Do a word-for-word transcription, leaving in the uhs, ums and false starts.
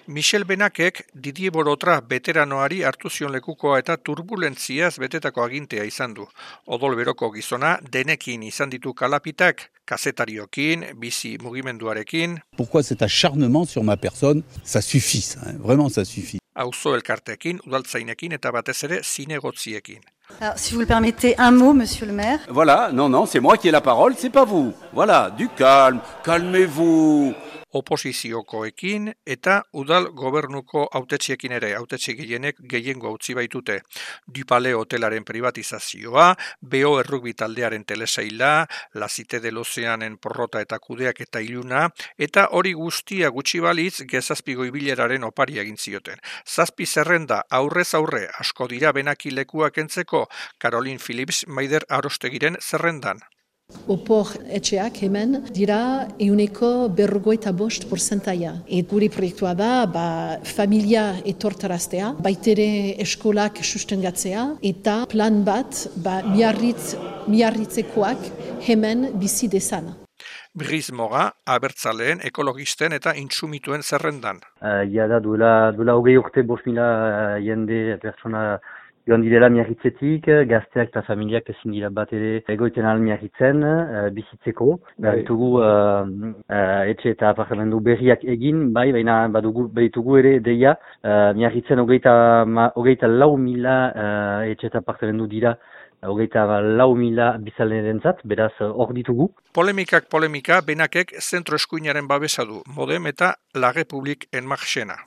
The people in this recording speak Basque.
Michel Benakek Didier Borotra beteranoari hartu zion lekukoa eta turbulentziaz betetako agintea izan du. Odol beroko gizona denekin izan ditu kalapitak, kazetariokin, bizi mugimenduarekin. Pourquoi cet acharnement sur ma personne? Ça suffit, ça, hein? Vraiment ça suffit. Auzo elkarteekin, udaltzainekin eta batez ere zinegotziekin. Alors, si vous le permettez, un mot, monsieur le maire. Voilà, non, non, c'est moi qui ai la parole, c'est pas vous. Voilà, du calme, calmez-vous. Oposiziokoekin eta udal gobernuko hautetziekin ere, hautetxe gehienek gehiengo utzi baitute. Dupale hotelaren privatizazioa, B O errugbi taldearen telesaila, La Cité de l'Oceanen porrota eta kudeak eta iluna, eta hori guztia gutxi balitz gezazpigo ibileraren opari egin zioten. Zazpi zerrenda aurrez aurre asko dira Benaki lekuak entzeko, Caroline Phillips Maider Arostegiren zerrendan. Opor etxeak hemen dira euneko berrogeita bost porzentaia. Et gure proiektua da ba, familia etortaraztea, baitere eskolak sustengatzea eta plan bat ba, miarritz, miarritzekoak hemen bizi dezan. Briz Moga, abertzaleen, ekologisten eta intsumituen zerrendan. Uh, ja da, duela, duela hogei urte bost mila uh, jende pertsona joan direla miarritzetik, gazteak eta familiak ezin dira bat ere egoiten ahal miarritzen, uh, bizitzeko. Behitugu uh, uh, etxe eta apartamendu berriak egin, bai, baina badugu, behitugu ere deia, uh, miarritzen hogeita, ma, hogeita lau mila uh, etxe eta apartamendu dira, hogeita lau mila bizalerentzat, beraz hor ditugu. Polemikak polemika, Benakek zentro eskuinaren babesa du, Modem eta La Republique en Marchena.